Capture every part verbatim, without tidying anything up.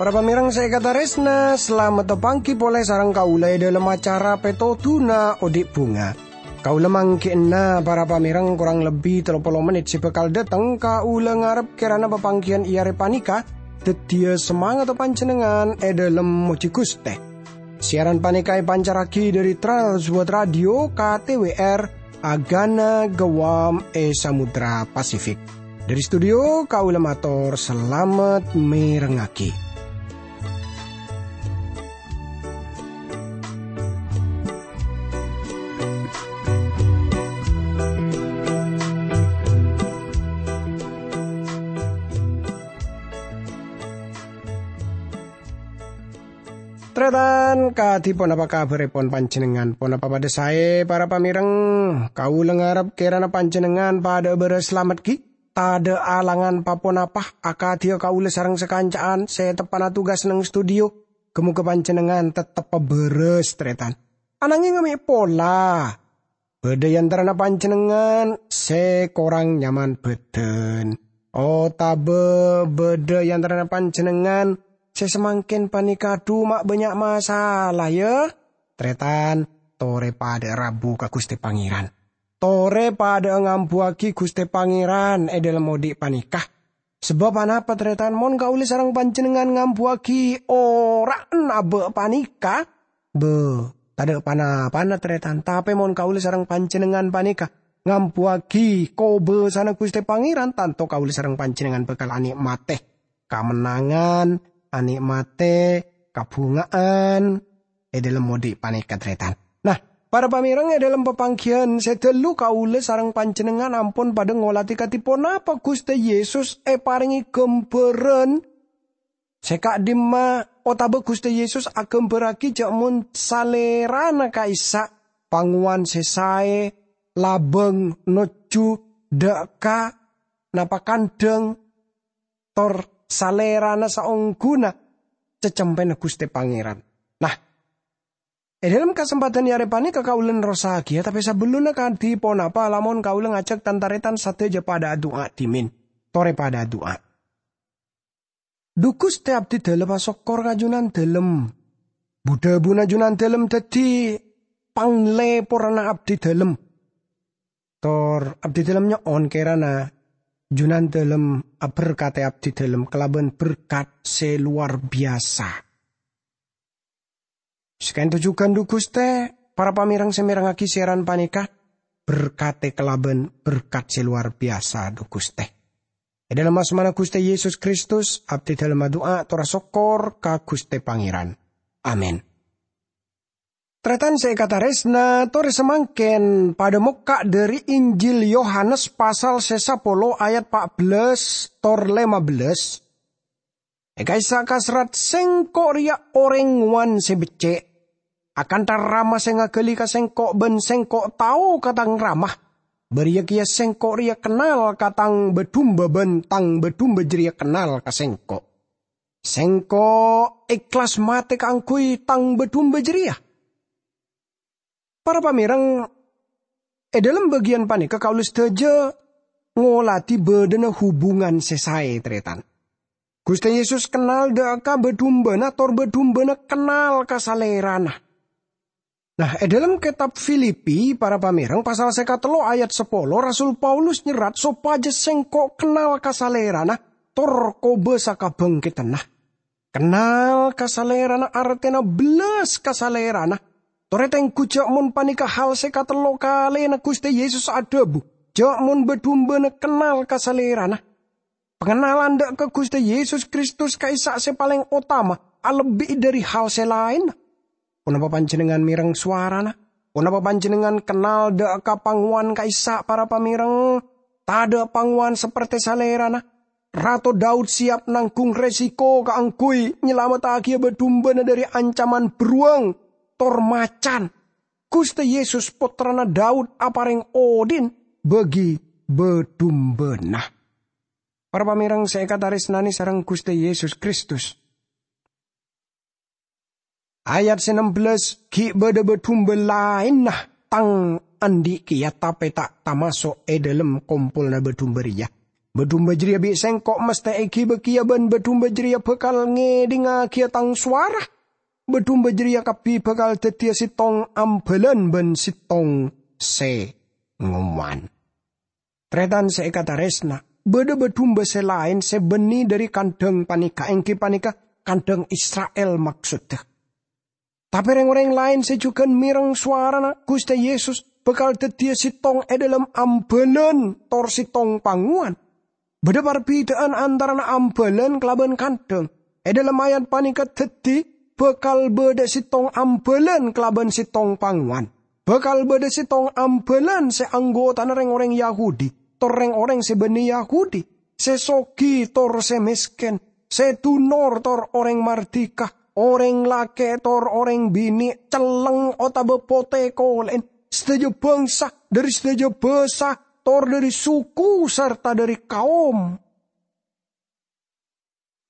Para pamèrèng sè èkatarèsna, salamet apangghi polè sareng kaulâ è dhâlem acara Pètodhuna Odi' Bhunga. Kaulâ mangghi'na para pamèrèng korang lebbi tello polo mennit sè bhâkal dâteng, kaulâ ngarep kèrana papangghiyân è arè panèka dhâddhiyâ samangatta panjhennengngan è dhâlem mojhi Ghustè. Siaran panèka èpancarraghi dhâri Trans World Radio K T W R, Agana Guam è Samudra Pasifik. Dhâri studio, kaulâ mator salamet mèrengngaghi. Tarètan, kadhi ponapa kabhârèpon panjhennengngan? Ponapa padâ saè, para pamèrèng? Kaulâ ngarep kèrana panjhennengngan padâ'â bârâs salamet, ghi? Tadâ' alangan pa-ponapa akadhiyâ kaulâ sareng sakanca'an sè teppa'na tugas neng studio. Ghâ-moghâ panjhennengngan tettebbhâ bârâs, tarètan. Ananghèng mè' pola bâdâ è antarana panjhennengngan sè korang nyaman bhâdhân, otabâ bâdâ è antarana panjhennengngan sè samangkèn panèka, adhu, ma' bânnya' masala, yâ? Tarètan, torè padâ'â rabu ka Ghustè Pangèran. Torè padâ'â ngambuwâghi Ghustè Pangèran è dhâlem odi' panèka. Sabâb anapa, tarètan? Mon kaulâ sareng panjhennengngan ngambuwâghi ora'an abâ' panèka, bâ, tadâ' pa-napana, tarètan. Tapè mon kaulâ sareng panjhennengngan panèka ngambuwâghi kobâsana Ghustè Pangèran, tanto kaulâ sareng panjhennengngan bhâkal anè'matè kamennangan, anè'matè kabhunga'an è dhâlem odi' panèka, tarètan. Nah, para pamèrèng, è dhâlem papangghiyân sè dâllu kaulâ sareng panjhennengngan ampon padâ ngolatè kadhi ponapa Ghustè Yesus èparèngè ghâmbhârân sè ka'dimma, otabâ Ghustè Yesus aghâmbhârraghi jhâ' mon Salèrana ka'issa' pangowan sè saè labâng nojjhu dâ' ka napa kandhâng, tor Salèrana saongghuna cacempèna Ghustè Pangèran. Nah, è dhâlem kasempadhân è arè panèka kaulâ nerrossaghiyâ, tapè sabellunna kadhi ponapa, lamon kaulâ ngajhâk tan-tarètan sadhâjâ padâ adu'a dhimèn. Torè padâ adu'a. Dhu Ghustè, abdhidhâlem asokkor ka Jhunandhâlem. Bu-dhâbuna Jhunandhâlem dhâddhi panglèporrâna abdhidhâlem. Tor abdhidhâlem nyo'on kèrana Jhunandhâlem aberkatè abdhidhâlem kalabân berkat sè lowar biyasa. Saka'dinto jhughân, dhu Ghustè, para pamèrèng sè mèrengngaghi siaran panèka, berkatè kalabân berkat sè lowar biyasa, dhu Ghustè. È dhâlem asmana Ghustè Yesus Kristus, abdhidhâlem adu'a tor asokkor ka Ghustè Pangèran. Amin. Tarètan sè èkatarèsna, torè samangkèn padâ mokka' dhâri Injil Yohanes pasal sè sapolo ayat pa' bellâs tor lèma bellâs. È ka'issa' kaserrat, "Sèngko' rèya orèng ngowan sè beccè'. Akantha Rama sè ngaghâli ka Sèngko' bân Sèngko' tao ka Tang Rama, bâriyâ kèya Sèngko' rèya kennal ka Tang bâ-dumba bân Tang bâ-dumba jârèya kennal ka Sèngko'. Sèngko' èhlas matè kaangghuy Tang bâ-dumba jârèya." Para pamèrèng, è dhâlem bâgiyân panèka kaulâ sadhâjâ ngolatè bâdâna hubungan sè saè, tarètan. Ghustè Yesus kennal dâ' ka bâ-dumbana, tor bâ-dumbana kennal ka Salèrana. Nah, è dhâlem kètab Filipi, para pamèrèng, pasal sè katello ayat sapolo, Rasul Paulus nyerrat sopajâ sèngko' kennal ka Salèrana, tor kobâsa kabhângkèdhânna. Kennal ka Salèrana artèna bellas ka Salèrana. Torè tengghu jâ' mon panèka hal sè katello kalèna Ghustè Yesus adhâbu jâ' mon bâ-dumbana kennal ka Salèrana. Pangennalan dâ' ka Ghustè Yesus Kristus ka'issa' sè palèng otama, alebbi'i dhâri hal sè laènna. Ponapa panjhennengngan mèreng sowarana? Ponapa panjhennengngan kennal dâ' ka pangowan ka'issa', para pamèreng? Tadâ' pangowan sapertè Salèrana. Rato Daud siap nangghung resiko kaangghuy nyalamettaghiyâ bâ-dumbana dhâri ancaman bâruwâng tor macan. Ghustè Yesus, Pottrana Daud, aparèng odhi'na bagi bâ-dumbana. Para pamèreng sè èkatarèsnanè sareng Ghustè Yesus Kristus, Ayat se nembellas, "Gi' badha badhumba laenna tang andhi' keya, tape ta' tamaso' e dhalem kompolanna badhumba reya. Badhumba jareya bi' sengko' masthe egiba keya, ban badhumba jareya bakal ngedhingagiya tang sowara. Badhumba jareya kabbi bakal daddiya settong ambalan ban settong se ngowan." Taretan se ekataresna, badha badhumba se laen se banne dhari kandhang paneka, enggi paneka kandhang Isra'il maksodda. Tape reng-oreng laen se jugan mereng sowarana Guste Yesus bakal daddiya settong e dhalem ambalan tor settong pangowan. Badha parbida'an antarana ambalan kalaban kandhang. E dhalem ayat paneka daddi bakal badha settong ambalan kalaban settong pangowan. Bakal badha settong ambalan se anggotana reng-oreng Yahudi, tor reng-oreng se banne Yahudi, se sogi tor se mesken, se dunor tor oreng mardika, oreng lake' tor oreng bine', celleng otaba pote kole'en, sadaja bangsa, dhari sadaja basa, tor dhari suku sarta dhari kaom.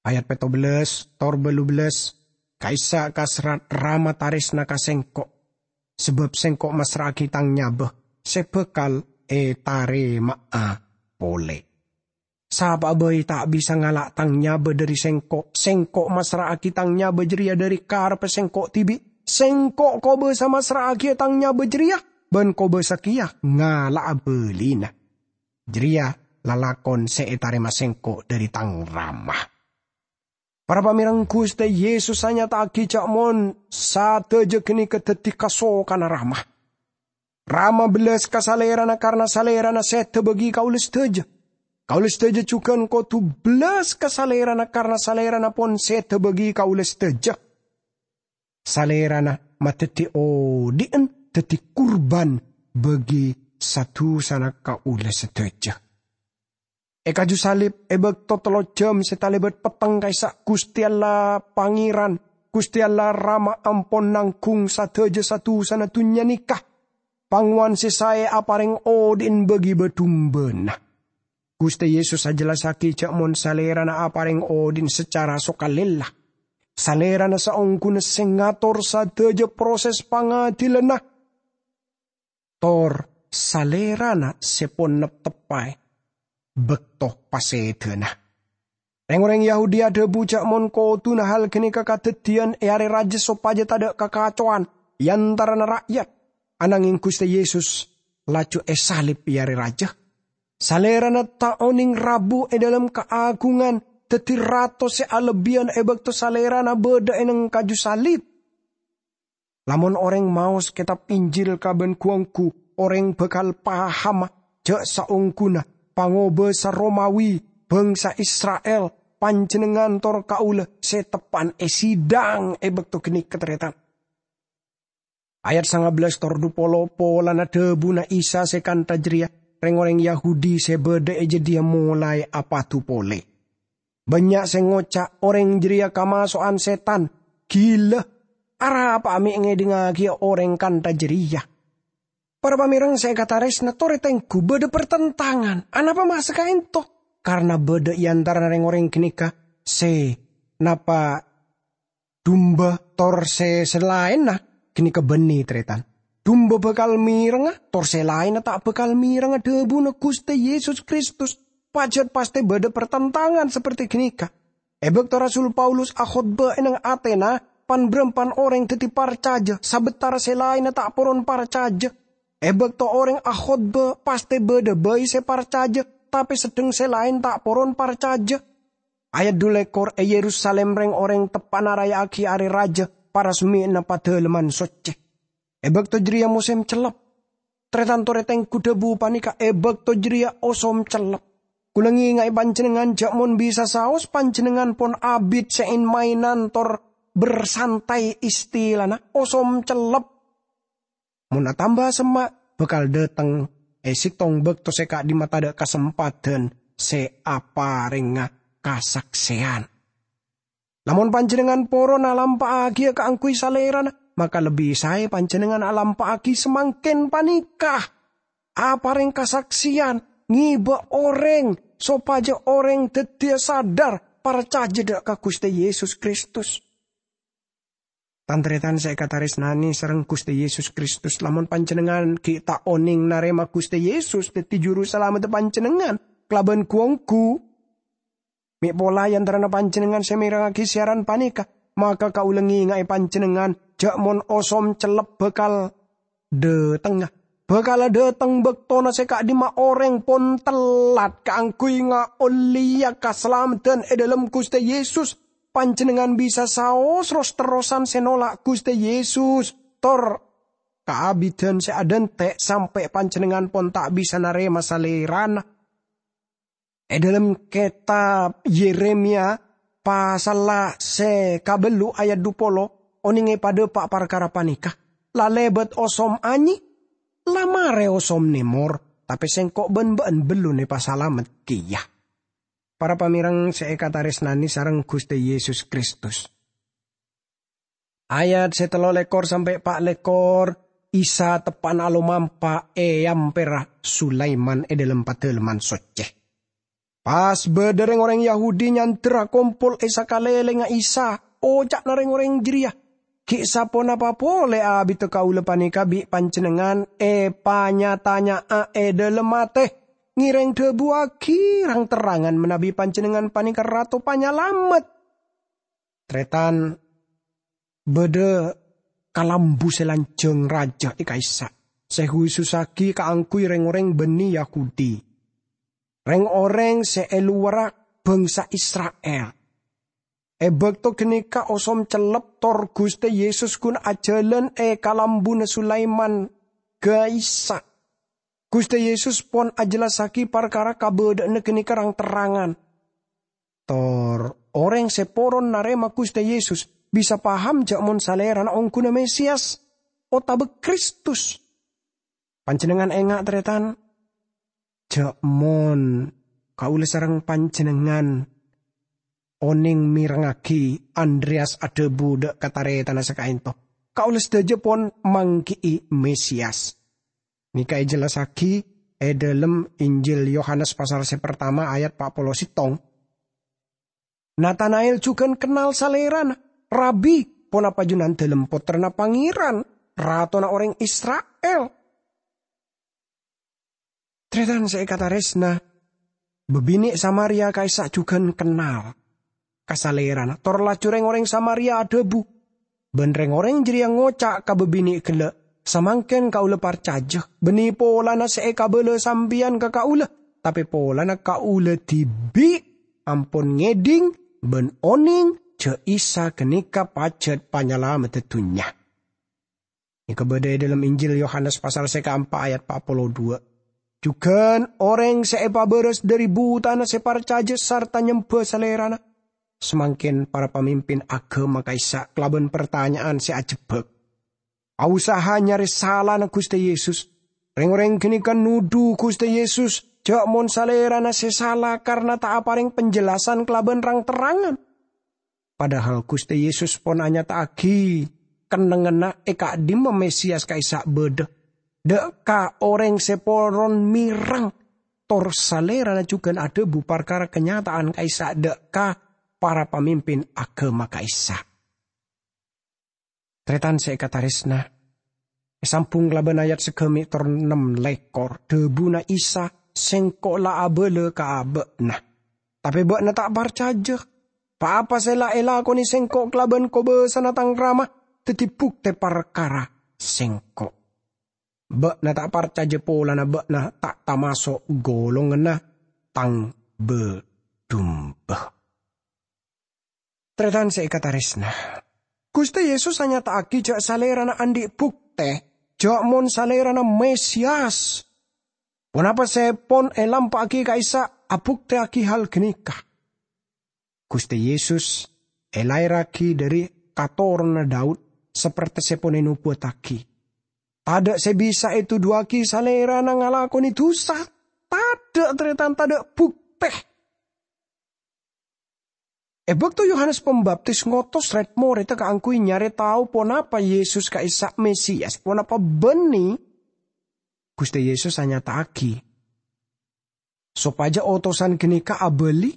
Ayat petto bellas tor ballu bellas, "Ka'issa' ka serrat Rama taresna ka Sengko', sabab Sengko' massra'agi Tang nyaba se bakal etarema'a pole. Sapa'a bai ta' bisa ngala' Tang nyaba dhari Sengko'. Sengko' massra'agi Tang nyaba jareya dhari karebbhâ Sengko' dibi'. Sengko' kobasa massra'agiya Tang nyaba jareya, ban kobasa keya ngala'a balina. Jareya lalakon se etarema Sengko' dhari Tang Rama." Para pamereng, Guste Yesus anyata'agi ja' mon sadaja ganeka daddi kasokanna Rama. Rama bellas ka Salerana karna Salerana seda bagi kaula sadaja. Kaula sadaja jugan kodu bellas ka Salerana karna Salerana pon seda bagi kaula sadaja. Salerana madaddi odhi'en daddi kurban bagi sa-dusana kaula sadaja. E kaju salib, e bakto tello jam se talebat petteng ka'issa', Guste Allah Pangeran, Guste Allah Rama ampon nanggung sadaja sa-dusana dunnya neka. Pangowan se sae apareng odhi'en bagi badhumbana. Guste Yesus ajellassagi ja' mon Salerana apareng odhi'en sacara sokalella. Salerana saongghuna se ngator sadaja proses pangadilanna. Tor Salerana se pon nepteppae bakto pasedana. Reng-oreng Yahudi adhabu ja' mon koduna hal ganeka kadaddiyan e are raja sopaja tadha' kakacowan e antarana ra'yat. Anangeng Guste Yesus laju esalib e are raja. Salerana ta' oneng rabu e dhalem kaagungan daddi Rato se alebbiyan e bakto Salerana badha e neng kaju salib. Lamon oreng maos Ketab Injil kaban gu-onggu, oreng bakal pahama ja' saongghuna pangobasa Romawi, bangsa Isra'il, panjennengngan tor kaula se teppa'an esidang e bakto ganeka, taretan. Ayat sanga bellas tor dhu polo, polana dhabuna Isa se kantha jareya, reng-oreng Yahudi se badha e jadhiya molae apadu pole. Bannya' se ngoca' oreng jareya kamaso'an setan, gila, arapa'a me' ngedhingagiya oreng kantha jareya? Para pamereng se ekataresna, tore tenggu badha pertentangan. Anapa ma' sakaento? Karna badha e antarana reng-oreng ganeka se napa dumba tor se, se laenna ganeka banne, taretan. Dumba bakal merengnga, tor se laenna ta' bakal merengnga dhabuna Guste Yesus Kristus. Pajat pasthe badha pertentangan saperti ganeka. E bakto Rasul Paulus akhotba e neng Atena, pan-barampan oreng daddi parcaja, sabatara se laenna ta' poron parcaja. E bakto oreng akhotba, pasthe badha bai se parcaja, tape seddheng se laen ta' poron parcaja. Ayat dhu lekor, e Yerusalim reng-oreng teppa'na raya'agi Are Raja, paresmeyana Padalemman Socce. E bakto jareya mosem cellep. Taretan tore tenggu dhabu paneka, e bakto jareya osom cellep. Kaula ngenga'e panjennengngan ja' mon bisa saos panjennengngan pon abit se en-maenan tor bersantai istilana osom cellep. Mon atamba semma', bakal dhateng e settong bakto se ka'dimma tadha' kasempadan se aparengnga kasakseyan. Lamon panjennengngan poron alampa'agiya kaangguy Salerana, maka lebbi sae panjennengngan alampa'agi samangken paneka. Apareng kasakseyan, ngeba oreng sopaja oreng daddiya sadar parcaja dha' ka Guste Yesus Kristus. Tan-taretan sè èkatarèsnanè sareng Ghustè Yesus Kristus, lamon panjhennengngan ghi' ta' onèng narèma Ghustè Yesus dhâddhi Juru Salameddhâ panjhennengngan kalabân ghu-ongghu, me' pola è antarana panjhennengngan sè mèrengngaghi siaran panèka, maka kaulâ ngènga'è panjhennengngan jhâ' mon osom cellep bhâkal dhâtengnga. Bhâkal dhâteng bâktona sè ka'dimma orèng pon tellat kaangghuy ngaollèya kasalameddhân è dhâlem Ghustè Yesus. Panjhennengngan bisa saos ros-terrosan sè nola' Ghustè Yesus, tor kaabiddhân sè adhânte' sampè' panjhennengngan pon ta' bisa narèma Salèrana. È dhâlem kètab Yeremia, pasalla sè kabellu ayat dhu polo, onèngè padâpa' parkara panèka, "La lèbât osom anyè, la marè osom nèmor, tapè sèngko' bân bâ'ân bellun èpasalamet kèya." Para pamèreng sè èkatarèsnanè sareng Ghustè Yesus Kristus. Ayat sè tello lèkor sampè' pa' lèkor, Isa teppa'na alomampa è ampèrra Sulaiman è dhâlem Padâlemman Soccè. Pas bâdâ rèng-orèng Yahudi nyandher akompol è sakalèlèngnga Isa, oca'na rèng-orèng jârèya, "Ghi' saponapa polè abiddhâ kaulâ panèka bi' Panjhennengngan èpanya-tanya'a è dhâlem atè? Ngèrèng dhâbuwaghi rang-terrangan manabi Panjhennengngan panèka Rato Panyalamet." Tarètan, bâdâ kalambu sè lanjhâng rajâ è ka'issa', sè khusussaghi kaangghuy rèng-orèng bânnè Yahudi, rèng-orèng sè è lowarra bhângsa Isra'il. È bâkto ghânèka osom cellep tor Ghustè Yesus ghun ajhâlân è kalambuna Sulaiman ka'issa'. Ghustè Yesus pon ajhellassaghi parkara kabâdâ'ânna ghânèka rang-terrangan. Tor orèng sè poron narèma Ghustè Yesus bisa paham jhâ' mon Salèrana ongghuna Mesias otabâ Kristus. Panjhennengngan enga', tarètan, jhâ' mon kaulâ sareng panjhennengngan onèng mèrengngaghi Andreyas adhâbu dâ' ka tarètanna sè ka'ènto, "Kaulâ sadhâjâ pon mangghi'i Mesias." Nèka èjhellassaghi è dhâlem Injil Yohanes pasal sè partama ayat pa' polo sèttong. Natanael jhughân kennal Salèrana. "Rabi, ponapa Junandalem Pottrana Pangèran, Ratona orèng Isra'il?" Tarètan sè èkatarèsna, bâbinè' Samaria ka'issa' jhughân kennal ka Salèrana, tor laju rèng-orèng Samaria adhâbu, bân rèng-orèng jârèya ngoca' ka bâbinè' ghellâ', "Samangkèn kaulâ parcajâ, bânnè polana sè èkabâlâ sampèyan ka kaulâ, tapè polana kaulâ dhibi' ampon ngèdhing bân onèng jhâ' Isa ghânèka pajhât Panyalameddhâ dhunnya." Nèka bâdâ è dhâlem Injil Yohanes pasal sè kaempa' ayat pa' polo dhu. Jhughân orèng sè èpabârâs dhâri butana sè parcajâ sarta nyemba Salèrana. Samangkèn para pamimpin aghâma ka'issa' kalabân partanya'an sè ajhebbhâk. Aosaha nyarè salana Ghustè Yesus. Rèng-orèng ghânèka nodhu Ghustè Yesus jhâ' mon Salèrana sè sala karna ta' aparèng penjelasan kalabân rang-terrangan. Padahal Ghustè Yesus pon anyata'aghi kennengnganna è ka'dimma Mesias ka'issa' bâdâ, dâ' ka orèng sè poron mèreng, tor Salèrana jhughân adhâbu parkara kanyata'an ka'issa' dâ' ka para pamimpin aghâma ka'issa'. Tarètan sè èkatarèsna, èsambhung kalabân ayat sagâmè' tor nem lèkor, dhâbuna Isa, "Sèngko' la abâlâ ka bâ'na, tapè bâ'na ta' parcajâ. Pa-apa sè la èlakonè Sèngko' kalabân kobâsana Tang Rama dhâddhi buktè parkara Sèngko'. Bâ'na ta' parcajâ polana bâ'na ta' tamaso' golonganna Tang bâ-dumba." Tarètan sè èkatarèsna, Ghustè Yesus anyata'aghi jhâ' Salèrana andi' buktè jhâ' mon Salèrana Mesias. Ponapa sè pon èlampa'aghi ka'issa' abuktèyaghi hal ghânèka? Ghustè Yesus èlaèrraghi dhâri katoronna Daud, saperte sè pon ènobuwattaghi. Tadâ' sè bisa ètodhuwâghi Salèrana ngalakonè dhusa. Tadâ', tarètan, tadâ' buktè. È bâkto Yohanes Pambaptis ngotos rèd-morèdda kaangghuy nyarè tao ponapa Yesus ka'issa' Mesias, ponapa bânnè, Ghustè Yesus anyata'aghi, sopajâ otosan ghânèka abâli,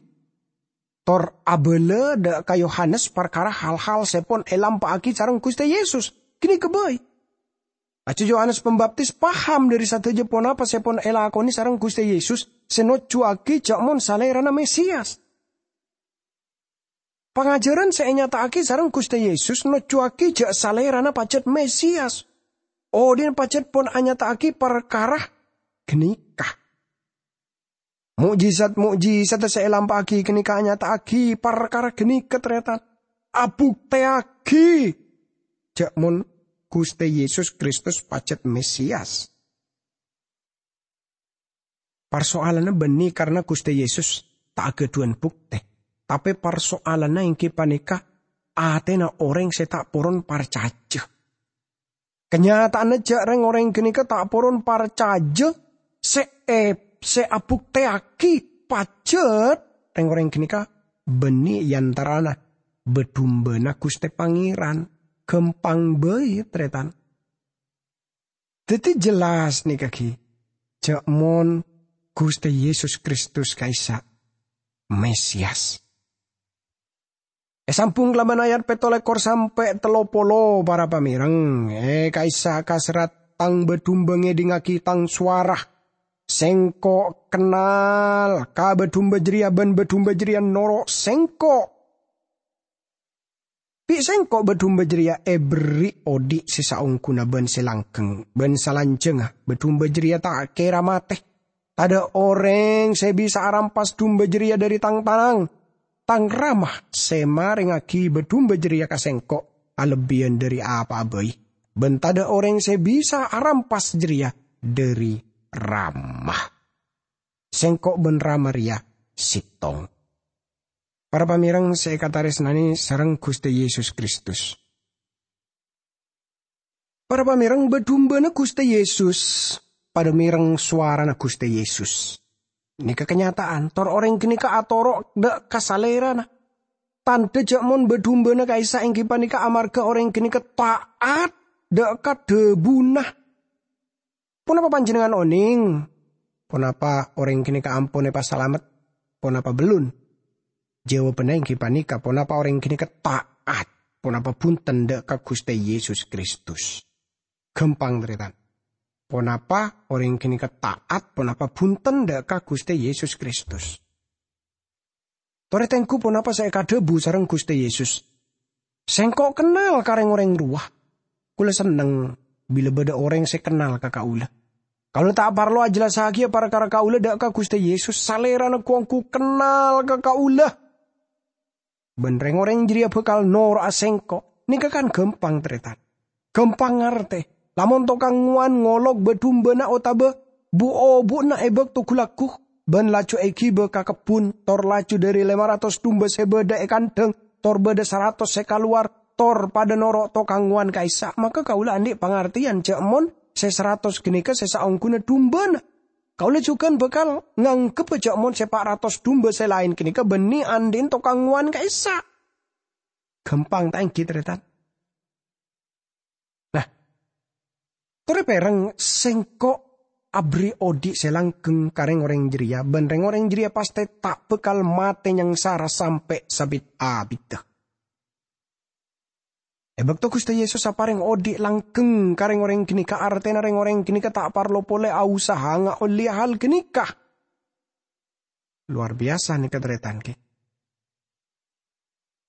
tor abâlâ dâ' ka Yohanes parkara hal-hal sè pon èlampa'aghi sareng Ghustè Yesus. Ghânèka bhâi. Laju Yohanes Pambaptis paham dhâri sadhâjâ ponapa sè pon èlakonè sareng Ghustè Yesus sè nojjhuwâghi jâ' mon Salèrana Mesias. Pangajhârân sè ènyata'aghi sareng Ghustè Yesus nojjhuwâghi jâ' Salèrana pajhât Mesias. Odhi'na pajhât pon anyata'aghi parkara ghânèka. Mo'jizat-mo'jizat sè èlampa'aghi ghânèka anyata'aghi parkara ghânèka, tarètan. Abuktèyaghi jâ' mon Ghustè Yesus Kristus pajhât Mesias. Parsoalanna bânnè karna Ghustè Yesus ta' aghâdhuwân buktè, tapè parsoalanna èngghi panèka atèna orèng sè ta' poron parcajâ. Kanyata'anna jâ' rèng-orèng ghânèka ta' poron parcajâ sè è-, sè abuktèyaghi pajhât rèng-orèng ghânèka bânnè è antarana bâ-dumbâna Ghustè Pangèran. Ghâmpang bhâi, tarètan. Dhâddhi jelas nèka ghi, jâ' mon Ghustè Yesus Kristus ka'issa' Mesias. Èsambhung kalabân ayat pètto lèkor sampè' tello polo, para pamèreng, è ka'issa' kaserrat, "Tang bâ-dumbâ ngèdingngaghi Tang sowara. Sèngko' kennal ka bâ-dumbâ jârèya, bân bâ-dumbâ jârèya noro' Sèngko'." Bi' Sèngko' bâ-dumbâ jârèya èberri' odhi' sè saongghuna bân sè langgheng, bân salanjhângnga bâ-dumbâ jârèya ta' kèra matè. Tadâ' orèng sè bisa arampas dumbâ jârèya dhâri Tang tanang. Tang Rama sè marèngngaghi bâ-dumbâ jârèya ka Sèngko' alebbiyân dhâri apa'a bhâi, bân tadâ' orèng sè bisa arampas jârèya dhâri Rama. Sèngko' bân Rama rèya sèttong. Para pamèreng sè èkatarèsnanè sareng Ghustè Yesus Kristus. Para pamèreng, bâ-dumbâna Ghustè Yesus padâ mèreng sowarana Ghustè Yesus. Nèka kanyata'an, tor orèng ghânèka atoro' dâ' ka Salèrana. Tandhâ jâ' mon bâ-dumbâna ka'issa' èngghi panèka amarghâ orèng ghânèka ta'at dâ' ka dhâbuna. Ponapa panjhennengngan onèng? Ponapa orèng ghânèka ampon èpasalamet? Ponapa bellun? Jawabanna èngghi panèka, ponapa orèng ghânèka ta'at, ponapa bhunten dâ' ka Ghustè Yesus Kristus. Ghâmpang, tarètan. Ponapa orèng ghânèka ta'at, ponapa bhunten dâ' ka Ghustè Yesus Kristus. Torè tengghu ponapa sè èkadhâbu sareng Ghustè Yesus. "Sèngko' kennal ka rèng-orèng rowa. Kaulâ senneng bilâ bâdâ orèng sè kennal ka kaulâ. Kaulâ ta' parlo ajhellassaghiyâ parkara kaulâ dâ' ka Ghustè Yesus, Salèrana ghu-ongghu kennal ka kaulâ. Bân rèng-orèng jârèya bhâkal noro'a Sèngko'." Nèka kan ghâmpang, tarètan. Ghâmpang ngartè. Lamon tokang ngowan ngolok bâ-dumbâna otabâ bu-obu'na è bâkto ghu-lagghu, bân laju èghibâ ka kebbhun, tor laju dhâri lèma ratos dumbâ sè bâdâ è kandhâng, tor bâdâ saratos sè kalowar, tor padâ noro' tokang ngowan ka'issa', maka kaulâ andi' pangartèyan jâ' mon sè saratos ghânèka sè saongghuna dumbâna. Kaulâ jhughân bhâkal ngangghep jâ' mon sè pa' ratos dumbâ sè laèn ghânèka bânnè andi'na tokang ngowan ka'issa'. Ghâmpang ta' èngghi, tarètan? Nah, torè pèrèng, Sèngko' aberri' odhi' sè langgheng ka rèng-orèng jârèya, bân rèng-orèng jârèya pastè ta' bhâkal matè nyangsara sampè' sabit-abiddhâ. È bâkto Ghustè Yesus aparèng odhi' langgheng ka rèng-orèng ghânèka, artèna rèng-orèng ghânèka ta' parlo polè ausaha ngaollèya hal ghânèka. Lowar biyasa nèka, tarètan, ghi.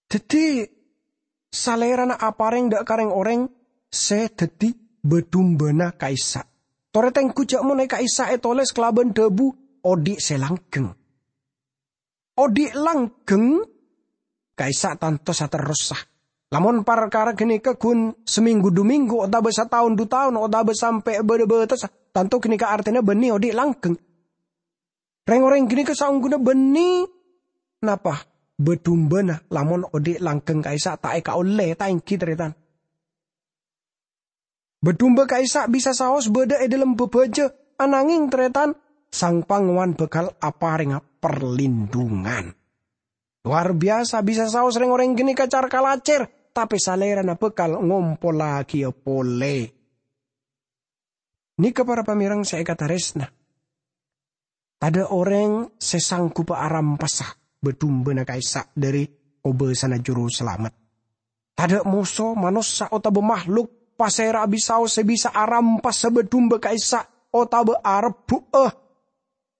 Dhâddhi, Salèrana aparèng dâ' ka rèng-orèng sè dhâddhi bâ-dumbâna ka'issa'. Torè tengghu jâ' mon è ka'issa' ètolès kalabân dhâbu odhi' sè langgheng. Odhi' langgheng ka'issa' tanto saterrossa. Lamon parkara ghânèka ghun samènggu du mènggu otabâ sataon du taon otabâ sampè' bâdâ bâtessa, tanto ghânèka artèna bânnè odhi' langgheng. Rèng-orèng ghânèka saongghuna bânnè napa? Bâ-dumbâna lamon odhi' langgheng ka'issa' ta' èkaollè, ta' èngghi, tarètan? Bâ-dumbâ ka'issa' bisa saos bâdâ è dhâlem bhâbhâjâ, ananghing, tarètan, Sang Pangowan bhâkal aparèngnga parlindhungan. Lowar biyasa bisa saos rèng-orèng ghânèka car-kalacèr, tapè Salèrana bhâkal ngompollaghiyâ polè. Nèka para pamèreng sè èkatarèsna. Tadâ' orèng sè sangghubbhâ arampasa bâ-dumbâna ka'issa' dhâri kobâsana Jurusalamet. Tadâ' moso, manossa otabâ mahlok, pasèra'a bisaos sè bisa arampas bâ-dumbâ ka'issa' otabâ arebbu'â.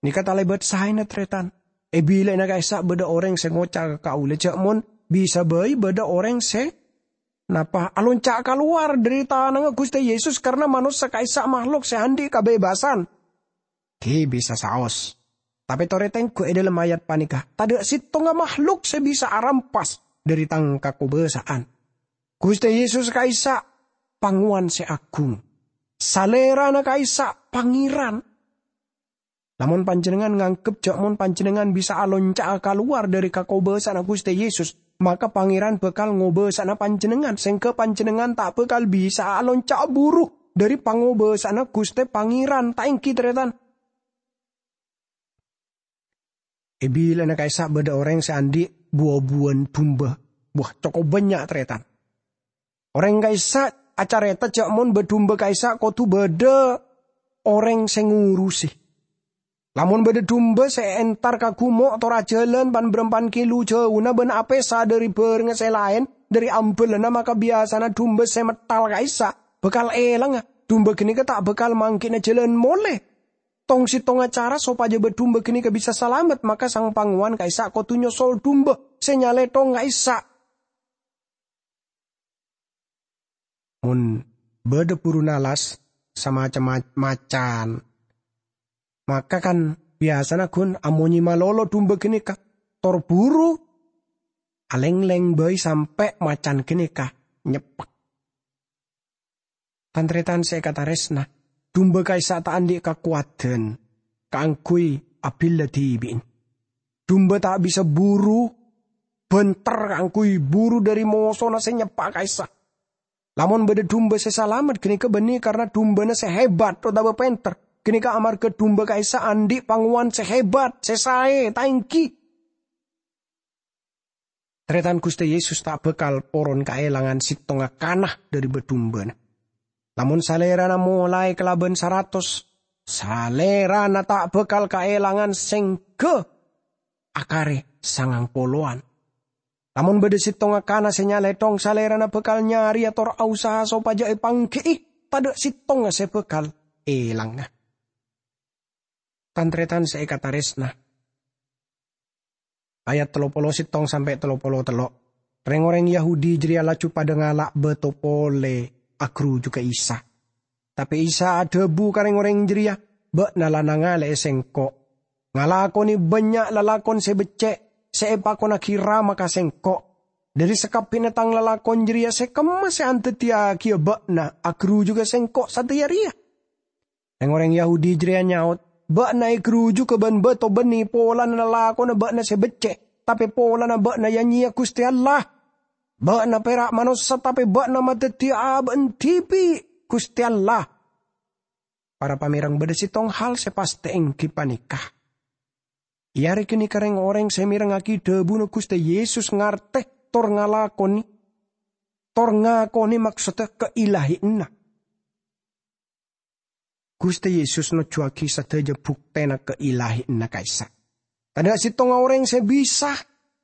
Nèka talèbât saèna, tarètan. È bilâ'na ka'issa' bâdâ orèng sè ngoca' ka kaulâ jâ' mon bisa bhâi bâdâ orèng sè napa alonca' kalowar dhâri tanangnga Ghustè Yesus, karna manossa ka'issa' mahlok sè andi' kabebassan. Ghi bisa saos. Tapè torè tengghu è dhâlem ayat panèka, tadâ' sèttonga mahlok sè bisa arampas dhâri Tang kakobâsa'an. Ghustè Yesus ka'issa' pangowan sè agung. Salèrana ka'issa' Pangèran. Lamon panjhennengngan nganggep jâ' mon panjhennengngan bisa alonca'a kalowar dhâri kakobâsa'anna Ghustè Yesus, maka Pangèran bhâkal ngobâsa'ana panjhennengngan, sèngghâ panjhennengngan ta' bhâkal bisa'a alonca'a buru dhâri pangobâsa'anna Ghustè Pangèran, ta' èngghi, tarètan? È bilâna ka'issa' bâdâ orèng sè andi' bu-obuwân dumbâ. Wah, cokop bânnya', tarètan. Orèng ka'issa' acarèta jâ' mon bâ-dumbâ ka'issa' kodhu bâdâ orèng sè ngurusè. Lamon bâdâ dumbâ sè èentar ka gumo' tor ajhâlân pan-bârâmpan kilo jhâuna bân apèsa dhâri bhârengnga sè laèn dhâri ambhâlânna, maka biyasana dumbâ sè metthal ka'issa' bhâkal èlangnga. Dumbâ ghânèka ta' bhâkal mangghi'na jhâlân molè. Tong-sèttonga cara sopajâ bâ-dumbâ ghânèka bisa salamet, maka sang pangowan ka'issa' kodhu nyosol dumbâ sè nyalèthong ka'issa'. Mon bâdâ buru nalas, samacem ma-, macan, maka kan biyasana ghun amonyè malolo dumbâ ghânèka, tor buru alènglèng bhâi sampè' macan ghânèka nyeppek. Tan-tarètan sè èkatarèsna, dumbâ ka'issa' ta' andi' kakowadhân kaangghuy abhilâ dhibi'na. Dumbâ ta' bisa buru bhânter kaangghuy buru dhâri mosona sè nyeppa' ka'issa'. Lamon bâdâ dumbâ sè salamet, ghânèka bânnè karna dumbâna sè hebat otabâ pènter. Ghânèka amarghâ dumbâ ka'issa' andi' pangowan sè hebat, sè saè, ta' èngghi? Tarètan, Ghustè Yesus ta' bhâkal poron kaèlangan sèttonga kana dhâri bâ-dumbâna. Lamon Salèrana molaè kalabân saratos, Salèrana ta' bhâkal kaèlangan sèngghâ akare sangang polowan. Lamon bâdâ sèttonga kana sè nyalèthong, Salèrana bhâkal nyarèya tor aosaha sopajâ èpangghi'i, tadâ' sèttonga sè bhâkal èlangnga. Tan-tarètan sè èkatarèsna. Ayat tello polo sèttong sampè' tello polo tello'. Rèng-orèng Yahudi jârèya laju padâ ngala' bâto polè aghârujughâ Isa. Tapè Isa adhâbu ka rèng-orèng jârèya, "Bâ'na la nangalè'è Sèngko', ngalakonè bânnya' lalakon sè beccè' sè èpakonnaghi Rama ka Sèngko'. Dhâri sakabbhiyânna Tang lalakon jârèya sè kemma sè andaddhiyaghiyâ bâ'na aghârujughâ Sèngko' sadhâjâ rèya?" Rèng-orèng Yahudi jârèya nyaot, "Bâ'na ègârujughâ bân bâto bânnè polana lalakonna bâ'na sè beccè', tapè polana bâ'na ya-nyèya Ghustè Allah. Bâ'na pèra' manossa, tapè bâ'na madhâddhiyâ abâ'na dhibi' Ghustè Allah." Para pamèrèng, bâdâ sèttong hal sè pastè èngghi panèka. È arè ghânèka rèng-orèng sè mèrengngaghi dhâbuna Ghustè Yesus ngartè tor ngalakonè, tor ngakonè maksoddhâ kailahiyanna. Ghustè Yesus nojjuwâghi sadhâjâ buktèna kailahiyanna ka'issa'. Tadâ' sèttonga orèng sè bisa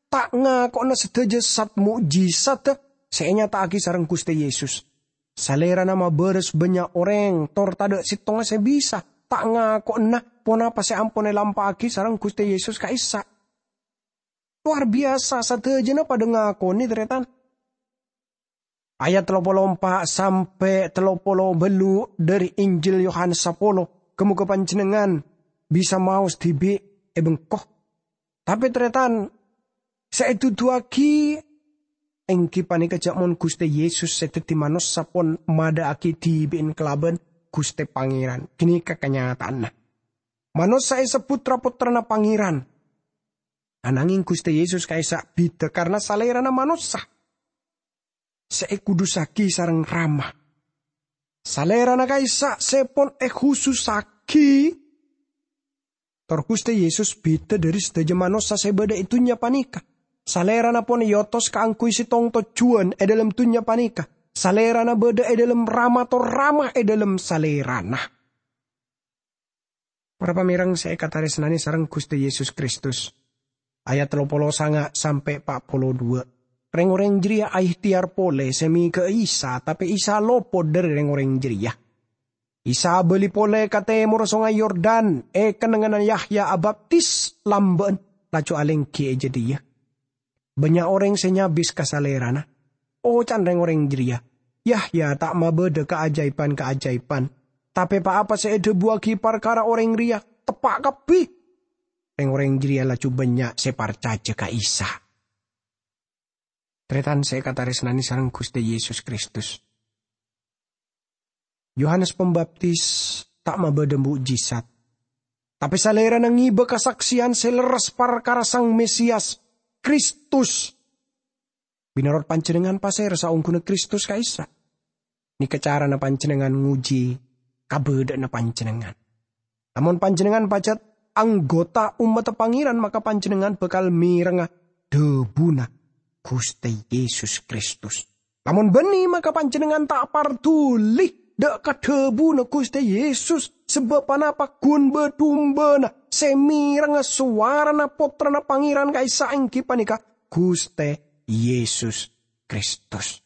ta' ngako'na sadhâjâ zat mo'jizat sè ènyata'aghi sareng Ghustè Yesus. Salèrana mabârâs bânnya' orèng, tor tadâ' sèttonga sè bisa ta' ngako'na ponapa sè ampon èlampa'aghi sareng Ghustè Yesus ka'issa'. Lowar biyasa, sadhâjâna padâ ngakonè, tarètan. Ayat tello polo empa' sampè' tello polo bâllu' dhâri Injil Yohanes sapolo, ghâ-mogâ panjhennengngan bisa maos dhibi' è bengko. Tapè, tarètan, sè èduduwâghi èngghi panèka jâ' mon Ghustè Yesus sè dhâddhi manossa pon madâ'aghi dhibi'na kalabân Ghustè Pangèran. Ghânèka kanyata'anna. Manossa èsebbhut ra-pottrana Pangèran. Ananghing Ghustè Yesus ka'issa' bhidhâ karna Salèrana manossa sè èkudusaghi sareng Rama. Salèrana ka'issa' sè pon èkhusussaghi. Tor Ghustè Yesus bhidhâ dhâri sadhâjâ manossa sè bâdâ è dhunnya panèka. Salèrana pon èotos kaangghuy sèttong tojjhuwân è dhâlem dhunnya panèka. Salèrana bâdâ è dhâlem Rama, tor Rama è dhâlem Salèrana. Para pamèrèng sè èkatarèsnanè sareng Ghustè Yesus Kristus. Ayat tello polo sanga' sampè' pa' polo duwâ'. Rèng-orèng jârèya aèhtèyar polè sè mèghâ'â Isa, tapè Isa lopot dhâri rèng-orèng jârèya. Isa abâli polè ka tèmorra Songay Yordan, è kennengnganna Yahya abaptis lambâ'ân, laju alèngghi è jâdiyâ. Bânnya' orèng sè nyabis ka Salèrana. Oca'na rèng-orèng jârèya, "Yahya ta' mabâdâ kaajâibhân-kaajâibhân, tapè pa-apa sè èdhâbuwâghi parkara orèng rèya teppa' kabbhi." Rèng-orèng jârèya laju bânnya' sè parcajâ ka Isa. Tarètan sè èkatarèsnanè sareng Ghustè Yesus Kristus. Yohanes Pambaptis ta' mabâdâ mo'jizat, tapè Salèrana ngibâ kasaksèyan sè lerres parkara Sang Mesiyas, Kristus. Mènorot panjhennengngan, pasèra saongghuna Kristus ka'issa'? Nèka carana panjhennengngan ngojhi kabâdâ'ânna panjhennengngan. Lamon panjhennengngan pajhât anggota ommaddhâ Pangèran, maka panjhennengngan bhâkal mèrengnga dhâbuna Ghustè Yesus Kristus. Lamon bânnè, maka panjhennengngan ta' parduli dâ' ka dhâbuna Ghustè Yesus, sabâb ponapa? Ghun bâ-dumbâna sè mèrengnga sowarana Pottrana Pangèran ka'issa' èngghi panèka Ghustè Yesus Kristus.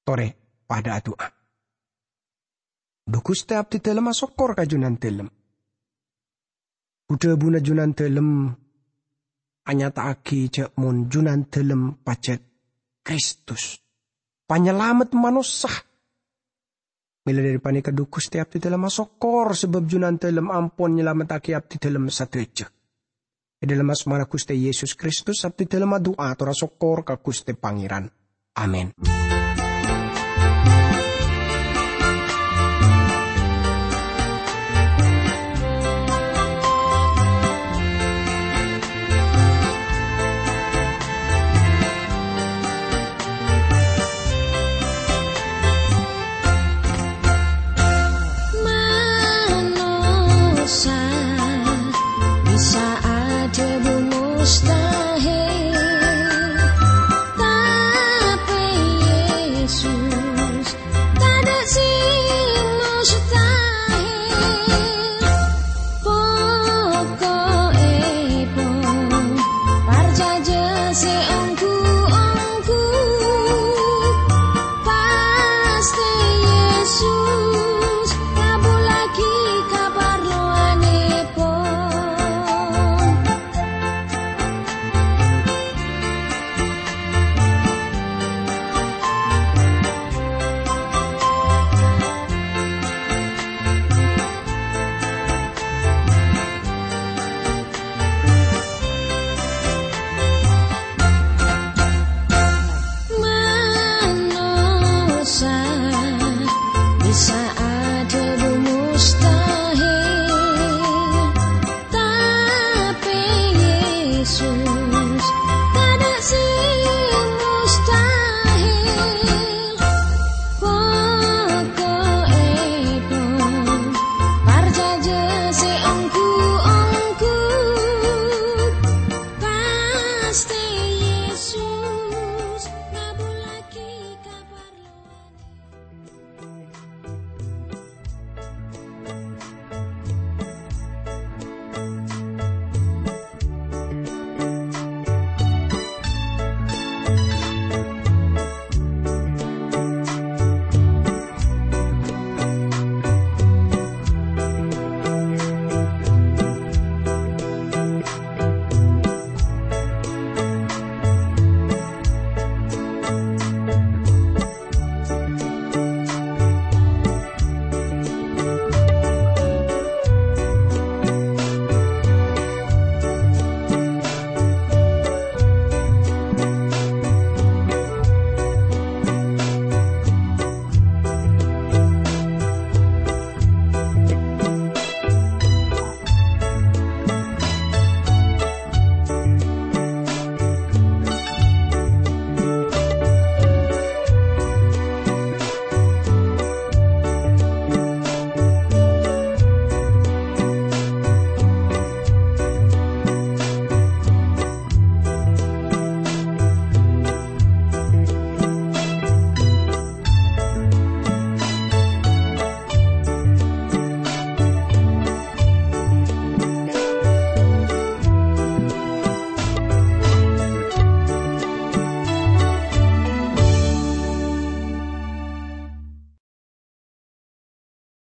Torè padâ adu'a. Dhu Ghustè, abdhidhâlem asokkor ka Jhunandhâlem. Dhu-dhâbuna Jhunandhâlem anyata'aghi jhâ' mon Jhunandhâlem pajhât Kristus, Panyalamet manossa. Mèla dhâri panèka, dhu Ghustè, abdhidhâlem asokkor sabâb Jhunandhâlem ampon nyalamettaghi abdhidhâlem sadhâjâ. È dhâlem asmana Ghustè Yesus Kristus, abdhidhâlem adu'a tor asokkor ka Ghustè Pangèran. Amin.